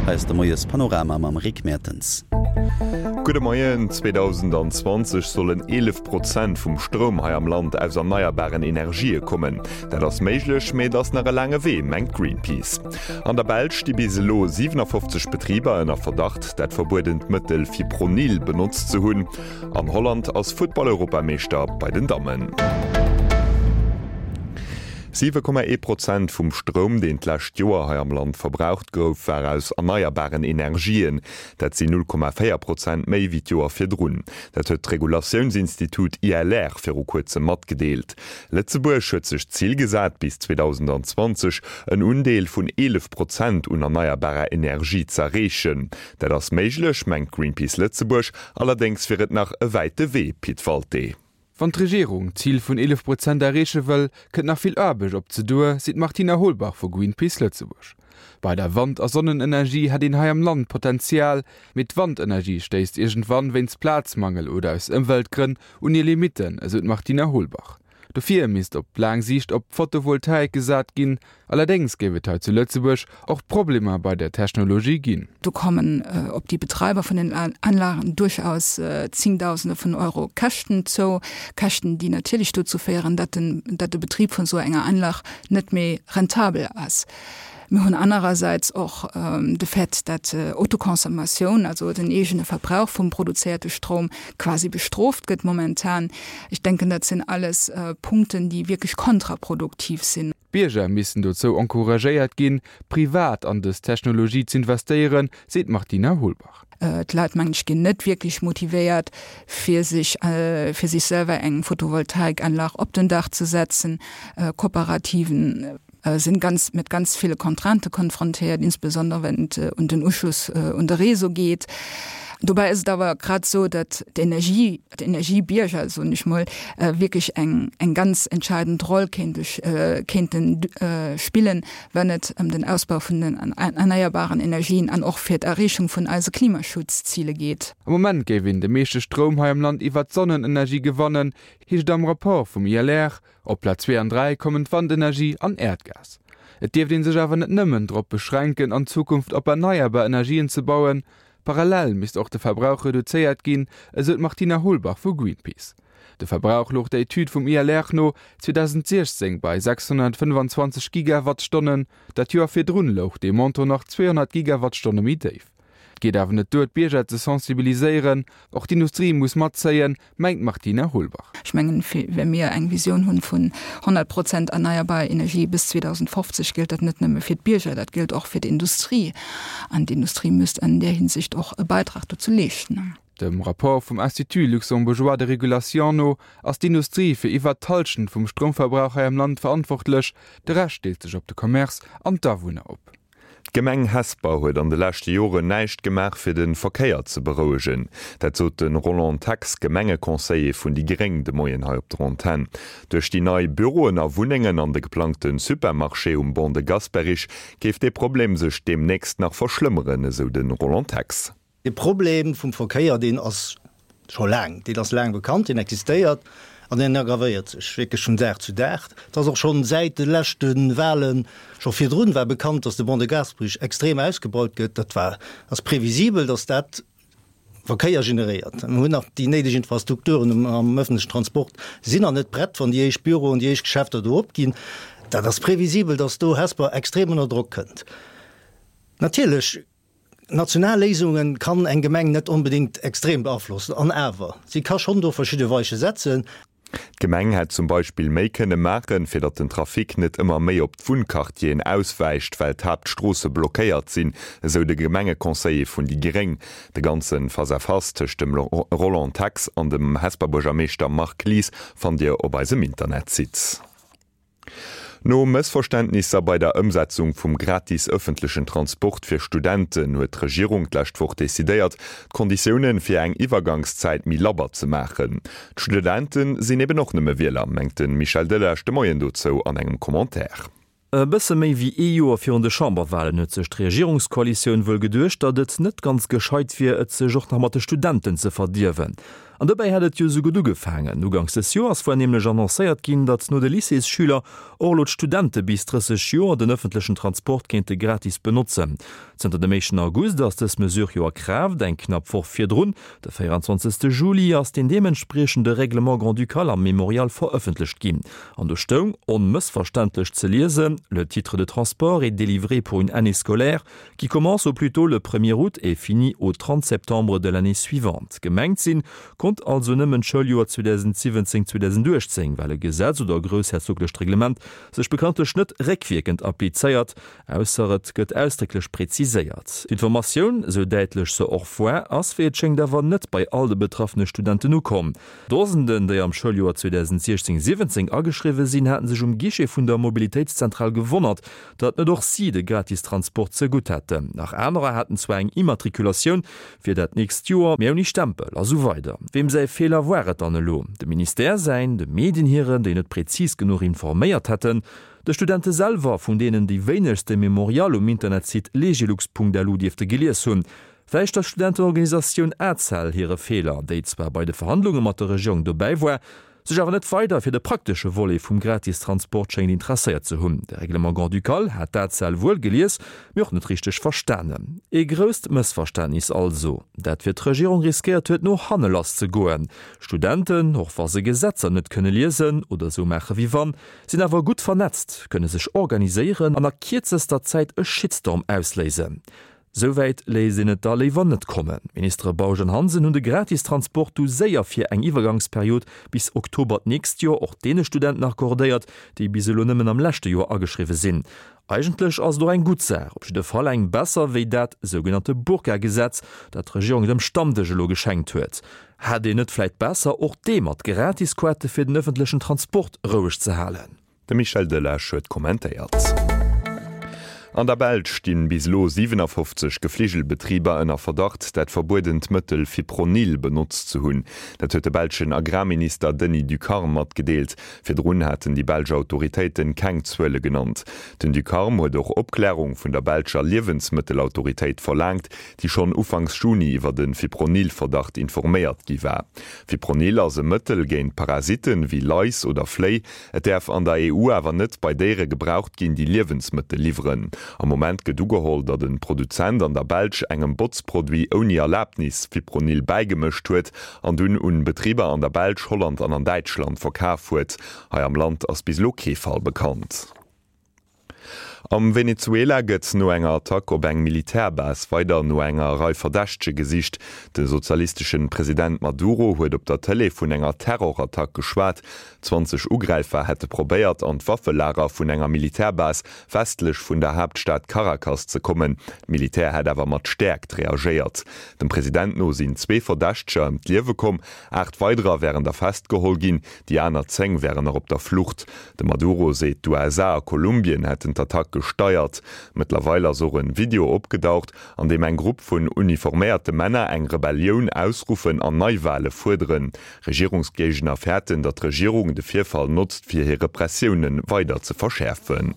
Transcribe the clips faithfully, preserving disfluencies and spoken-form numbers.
Hei ass de Moies Panorama mam Rick Mertens. Gudde Moien, zweedausendzwanzeg sollen eelef Prozent vum Stroum hei am Land aus erneierbaren Energië kommen. Dat ass méiglech, mee et ass nach e laange Wee, mengt Greenpeace. An der Belsch sti bis elo siwenafoffzeg Betriber ënner Verdacht, dat verbuedent Mëttel Fipronil benotzt ze hunn. An Holland ass Futtball-Europameeschter bei den Dammen. Siwe Komma ee Prozent vum Stroum, deen d'lescht Joer hei am Land verbraucht gouf, war aus erneierbaren Energien. Dat sinn null Komma véier Prozent méi wéi d'Joer virdrun. Dat huet d'Regulatiounsinstitut I L R viru kuerzem matgedeelt. Lëtzebuerg huet sech d'Zil gesat, bis zweedausendzwanzeg en Undeel vun eelef Prozent un erneierbarer Energie z'erreechen. Dat ass méiglech, mengt Greenpeace Lëtzebuerg, allerdéngs wier et nach e wäite Wee. Pit Walté. Wann d'Regierung d'Zil vun eelef Prozent erreeche wëll, kënnt nach vill Aarbecht op se duer, seet d'Martina Holbach vu Greenpeace Lëtzebuerg. Bei der Wand a Sonnenenergie hätt een hei am Land Potenzial, mee d'Wandenergie stéisst iergendwann wéinst Plazmangel oder aus Ëmweltgrënn un hir Limitten, esou d'Martina Holbach. Dofir misst op laang Siicht op Photovoltaik gesat ginn. Allerdéngs géif et hei zu Lëtzebuerg och Problemer bei der Technologie ginn. Do kommen op déi Betreiber vun den Anlagen duerchaus Zéngdausende vun Euro Käschten zou, Käschten, déi natierlech dozou féieren, datt den, datt de Betrib vun esou enger Anlag net méi rentabel ass. Mir hunn anerersäits och de Fait, datt Autoconsommatioun, also den eegene Verbrauch vum produzéierte Stroum, quasi bestrooft gëtt momentan. Ech denken, dat sinn alles Punkten, déi wierklech kontraproduktiv sinn. D'Bierger missten dozou encouragéiert ginn, privat an dës Technologie z'investéieren, seet d'Martina Holbach. D'Leit, mengen ech, ginn net wierklech motivéiert, fir sech, fir sech selwer eng Photovoltaikanlag op den Daach ze setzen. Kooperativen sinn ganz, mat ganz ville Contraintë konfrontéiert, insbesondere wenn et un den Uschluss un de Réseau geet. Dobäi ass et awer grad esou, datt d'Energie, d'Energiebierger, soen ech mol, wierklech eng, eng ganz entscheidend Roll kéinte, kéinten spillen, wenn et ëm den Ausbau vun den erneierbaren Energien an och fir d'Erreechung vun eise Klimaschutzziele geet. Am Moment géif een de meeschte Stroum hei am Land iwwert d'Sonnenenergie gewannen, heescht et am Rapport vum I L R. Op Plaz zwee an dräi kommen d'Wandenergie an Äerdgas. Et dierft ee sech awer net nëmmen drop beschränken, an Zukunft op erneierbar Energien ze bauen. Parallel misst och de Verbrauch reduzéiert ginn, esou d'Martina Holbach vu Greenpeace. De Verbrauch louch der Etüd vum I L R no zweedausendsiechzéng bei sechshonnertfënnefenzwanzeg Gigawattstonnen, dat Joer virdrun louch dee Montant nach zweehonnert Gigawattstonne méi déif. Et geet awer net duer, d'Bierger ze sensibiliséieren, och d'Industrie muss matzéien, mengt d'Martina Holbach. Ech mengen, wa mir eng Visioun hunn vun honnert Prozent erneierbar Energie bis zweedausendfofzeg, gëllt dat net nëmme fir d'Bierger, dat gëllt och fir d'Industrie. An d'Industrie müsst an där Hinsicht och e Beitrag dozou leeschten. Dem Rapport vum Institut luxembourgeois de régulation no ass d'Industrie fir iwwer d'Hallschent vum Stroumverbrauch hei am Land verantwortlech, de Rescht deelt sech op de Commerce an d'Awunner op. D'Gemeng Hesper huet an de leschte Joren näischt gemaach fir de Verkéier ze berouegen. Dat sot de Roland Tex, Gemengeconseiller vun déi Gréng de Moien hei op der Antenn. Duerch déi nei Büroen a Wunnengen an de geplangte Supermarché um Ban de Gasperich géif dee Problem sech deemnächst nach verschlëmmeren, esou de Roland Tex. De Problem vum Verkéier, deen ass scho laang, deen ass laang bekannt, deen existéiert an deen aggravéiert sech wierklech vun Dag zu Dag. Et ass och schonn säit de leschte Wahlen, scho virdrun war bekannt, dass de Ban de Gasperich extrem ausgebaut gëtt. Dat war, ass previsibel, dass dat Verkéier generéiert. Mir hunn nach déi néideg Infrastrukturen am öffentlichen Transport sinn nach net prett, wann déi éischt Büroen, déi éischt Geschäfter do opginn. Dat ass previsibel, dass do Hesper extrem ënner Drock kënnt. Natierlech, national Léisunge kann eng Gemeng net onbedéngt extrem beaflossen, an awer, si ka schonn do verschidde Weiche setzen. D'Gemeng hätt zum Beispill méi kënne maachen, fir datt den Trafic net ëmmer méi op d'Wunnquartieren auswäicht, well d'Haaptstroosse blockéiert sinn, esou de Gemengeconseiller vun déi Gréng. De ganze Face-à-face tëscht dem Roland Tex an dem Hesper Buergermeeschter Marc Lies fannt Dir op eisem Internetsite. No Mëssverständnisser bei der Ëmsetzung vum gratis ëffentlechen Transport fir Studenten huet d'Regierung d'lescht Woch decidéiert, d'Konditioune fir eng Iwwergangszäit méi labber ze maachen. D'Studente sinn eben och nëmme Wieler, mengt de Michel Delage de Moien dozou an engem Commentaire. E bësse méi wéi ee Joer virun de Chamberwalen huet sech d'Regierungskoalitioun wuel geduecht, datt et net ganz gescheit wier, et sech och nach mat de Studenten ze verdierwen. An dobäi hat et jo esou gutt ugefaangen. Uganks des Joers war nämlech annoncéiert ginn, datt no de Lycéesschüler och elo d'Studente bis drësseg Joer den ëffentlechen Transport kéinte gratis benotzen. Zënter dem éischten August ass dës Mesure jo a Kraaft. Eng knapp Woch virdrun, de véierundzwanzegste Juli, ass deen deementspriechende Règlement grand-ducal am Mémorial verëffentlecht ginn. An do stoung onmëssverständlech ze liesen, Le titre de transport est délivré pour une année scolaire qui commence au plus tôt le premier août et finit au trente septembre de l'année suivante. Gemengt sinn konnt also nëmmen d'Schouljoer zweedausendsiwwenzéng, zweedausendachtzéng, well e Gesetz oder e groussherzoglecht Reglement sech bekanntlech net réckwierkend applizéiert, ausser et gëtt ausdrécklech preziséiert. D'Informatioun, esou däitlech se och war, ass wéi et schéngt awer net bei all de betraffene Studenten ukomm. Dosenden, déi am Schouljoer zweedausendsiechzéng, siwwenzéng ageschriwwe sinn, haten sech um Guichet vun der Mobilitéitszentral gewonnert, datt net och si de Gratistransport zegutt hätten. Nach anerer haten zwar eng Immatrikulatioun fir dat nächst Joer, mee ouni Stempel a sou weider. Weem säi Feeler war et dann elo? Dem Ministère säin, de Medien hiren, déi net prezis genuch informéiert hätten, de Studente selwer, vun deenen déi wéinegst de Memorial um Internetsite legilux.lu dierfte gelies hunn, vläicht der Studentenorganisatioun ACEL hire Feeler, déi zwar bei de Verhandlunge mat der Regierung dobäi war, sech awer net weider fir de praktesche Volet vum Gratistransport schéngt interesséiert ze hunn. De Règlement grand-ducal hat d'ACEL wuel gelies, mee och net richteg verstanen. Ee grousst Mëssverständnis also, dat fir d'Regierung riskéiert huet no hanne lass ze goen. Studenten, och wa se Gesetzer net kënne liesen oder esou maache wéi wann, sinn awer gutt vernetzt, kënne sech organiséieren an a kierzester Zäit e Shitstorm ausléisen. Souwäit léisst een et da léiwer net kommen. D'Ministere Bausch an Hansen hunn de Gratistransport du séier fir eng Iwwergangsperiod bis Oktober d'nächst Joer och deene Studenten accordéiert, déi bis elo nëmmen am leschte Joer ageschriwwe sinn. Eigentlech ass et och eng gutt Saach, op jidde Fall eng besser wéi dat sougenannte Burka-Gesetz, dat d'Regierung dem Stammdësch elo geschenkt huet. Hätt een net vläit besser, och dee mat Gratisquote fir den ëffentlechen Transport roueg ze halen? De Michel Delage huet kommentéiert. An der Belsch stinn bis elo siwenafofzeg Gefligelbetriber ënner Verdacht, dat verbuedent Mëttel Fipronil benotzt ze hunn. Dat huet de belschen Agrarminister Denis Ducarme matgedeelt. Virdrun haten déi belsch Autoritéiten keng Zuele genannt. Den Ducarme huet och Opklärung vun der belscher Liewensmëttelautoritéit verlaangt, déi schonn ufanks Juni iwwer de Fipronil-Verdacht informéiert gi war. Fipronil ass e Mëttel géint Parasitten, wéi Lais oder Fléi. Et däerf an der E U awer net bei Déiere gebraucht ginn, déi Liewensmëttel liwweren. Am Moment gëtt ugeholl, datt e Produzent an der Belsch engem Botzproduit ouni Erlabnis Fipronil bäigemëscht huet an dunn un Betriber an der Belsch, Holland an an Däitschland verkaf huet. Hei am Land ass bis elo kee Fall bekannt. Am Venezuela gëtt no enger Attack op eng Militärbase weider no enger Rei Verdächtege gesicht. De sozialistesche President Maduro huet op der Tëlee vun enger Terrorattack geschwat. Zwanzeg Ugräifer hätte probéiert, an d'Waffelager vun enger Militärbase westlech vun der Haaptstad Caracas ze kommen. D'Militär hätt awer mat Stäerkt reagéiert. Dem President no sinn zwee Verdächteger ëm d'Liewe komm, aacht weiderer wären der festgeholl ginn, déi aner zéng wären nach op der Flucht. De Maduro seet, d'USA a Kolumbien hätten d'Attack gesteiert. Mëttlerweil ass och en Video opgedaucht, an deem eng Grupp vun uniforméierte Männer eng Rebellioun ausruffen an Neiwale fuerderen. Regierungsgéigner fäerten, datt d'Regierung de Virfall notzt, fir hir Repressioune weider ze verschäerfen.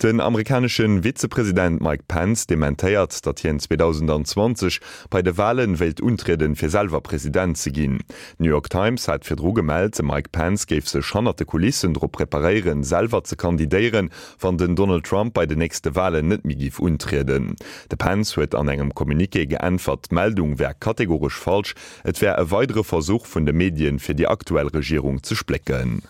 Den amerikanesche Vizepresident Mike Pence dementéiert, datt hien zweedausendanzwanzeg bei de Wale wéilt untrieden, fir selwer President ze ginn. D'New York Times hat virdru gemellt, de Mike Pence géif sech hannert de Kulissen drop preparéieren, selwer ze kandidéieren, wann den Donald Trump bei den nächste Walen net méi géif untrieden. De Pence huet an engem Communiqué geäntwert, d'Meldung wär kategoresch falsch, et wär e weidere Versuch vun de Medien, fir déi aktuell Regierung ze splécken.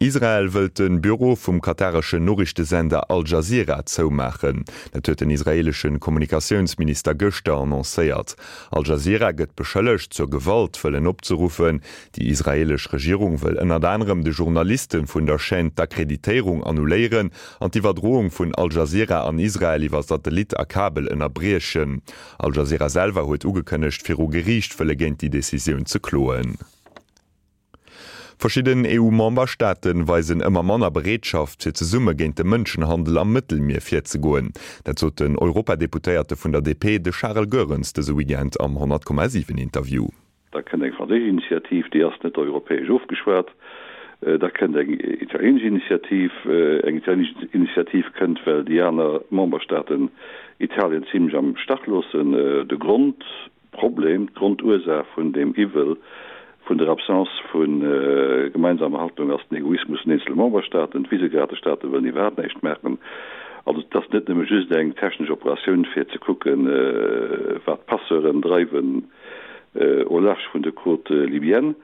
Israel wëllt de Büro vum katareschen Noriichtesender Al Jazeera zoumaachen. Dat huet den israeelesche Kommunikatiounsminister gëschter annoncéiert. Al Jazeera gëtt beschëllegt, zur Gewalt wëllen opzeruffen. Déi israeelesch Regierung wëll ënnert anerem de Journaliste vun der Chaîne d'Akkreditéierung annuléieren an d'Iwwerdroung vun Al Jazeera an Israel iwwer Satellit a Kabel ënnerbriechen. Al Jazeera selwer huet ugekënnegt, viru Geriicht wëlle géint déi Decisioun ze kloen. Verschidden E U-Memberstaate weisen ëmmer manner Bereetschaft, fir zesumme géint de Mënschenhandel am Mëttelmier virzegoen. Dat sot den Europadeputéierte vun der D P, de Charel Goerens, dëse Weekend am honnert Komma siwen Interview. Da kënnt eng franséisch Initiativ, déi ass net europäesch ofgeschwat. Da kënnt eng italienesch Initiativ. Eng italienesch Initiativ kënnt, well déi aner Memberstaaten Italien zimlech am Stach loossen. De Grond Grundproblem, d'Grondursaach vun deem Iwwel, vun der Absence vu gemeinsamer Haltung ass den Egoismus vun eenzele Memberstaaten. D'Visegrad-Staate wëllen iwwerhaapt näischt maachen. Also et ass net nëmme just eng technesch Operatioun fir ze kucken, wat d'Passeuren dreiwen au large vun de Côtes libyennes.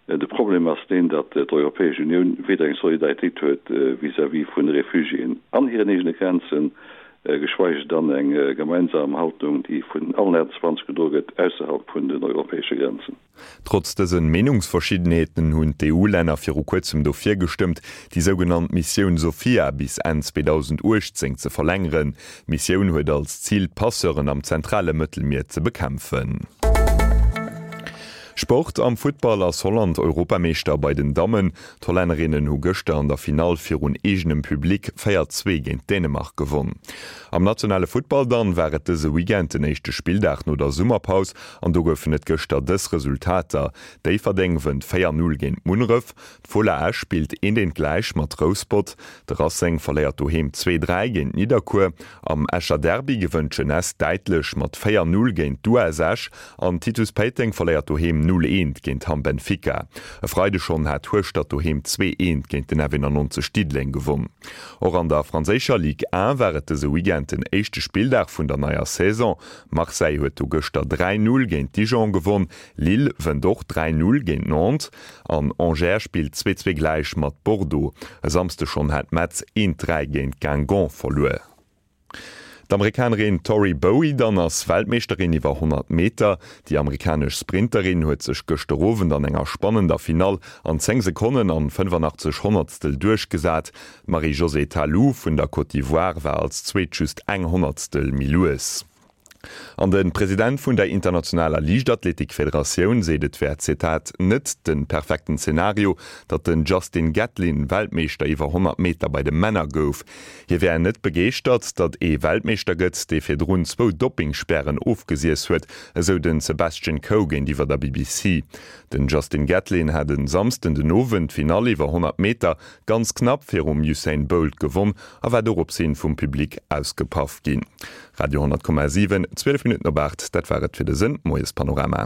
De Problem ass deen, datt d'Europäesch Unioun weder eng Solidaritéit huet vis-à-vis vun de Refugiéen an hiren eegene Grenzen, geschweige dann eng gemeinsam Haltung, déi vun allen achtundzwanzeg gedroe gëtt ausserhalb vun den europäesche Grenzen. Trotz dësen Meenungsverschiddenheeten hunn d'EU-Länner viru kuerzem dofir gestëmmt, déi sougenannt Missioun Sophia bis Enn zweedausendachtzéng ze verlängeren. D'Missioun huet als Zil, d'Passeuren am zentrale Mëttelmier ze bekämpfen. Sport, Am Futtball ass Holland Europameeschter bei den Dammen. D'Hollännerinnen hu gëschter an der Finall virun eegenem Public véier, zwee géint Dänemark gewonn. Am nationale Futtball dann war et dëse Weekend den éischte Spilldag no der Summerpaus an do goufen et gëschter dës Resultater, Déifferdeng wënnt véier, null géint Munneref, d'Fola Esch spillt eent, eent gläich mat Rouspert, de Racing verléiert doheem zwee, dräi géint Nidderkuer, am Escher Derby gewënnt d'Jeunesse däitlech mat véier, null géint d'US Esch an Titus Péiteng verléiert doheem null, eent géint Hamm Benfica. E Freide schonn hat Hueschtert doheem zwee, eent géint den F eenannonzeg Diddeleng gewonn. Och an der franséischer Ligue un war et dëse Weekend den éischte Spilldag vun der neier Saison. Marseille huet do gëschter dräi, null géint Dijon gewonn, Lille wënnt och dräi, null géint Nantes an Angers spillt zwee, zwee gläich mat Bordeaux. E Samsde schonn hat Metz eent, dräi géint Guingamp verluer. D'Amerikanerin Tori Bowie dann ass Weltmeeschterin iwwer honnert Meter. Déi amerikanesch Sprinterin huet sech gëschter Owend an enger spannender Finall an zéng Sekonnen an fënnefanachtzeg Honnertstel duerchgesat. D'Marie-Josée Ta Lou vun der Côte d'Ivoire war als Zweet just eng Honnertstel méi lues. An de President vun der internationaler Liichtathletikfederatioun seet, et wär, Zitat, net de perfekten Zenario, datt den Justin Gatlin Weltmeeschter iwwer honnert Meter bei de Männer gouf. Hie wär net begeeschtert, datt ee Weltmeeschter gëtt, dee virdrun zwou Doppingspären ofgesiess huet, esou den Sebastian Coe géintiwwer der B B C. Den Justin Gatlin hat e Samsden den Owend d'Finall iwwer honnert Meter ganz knapp virum Usain Bolt gewonn a war dorops hin vum Public ausgepaff ginn. Radio honnert Komma siwen, zwielef Minutten op aacht, dat war et fir dëse Moiespanorama.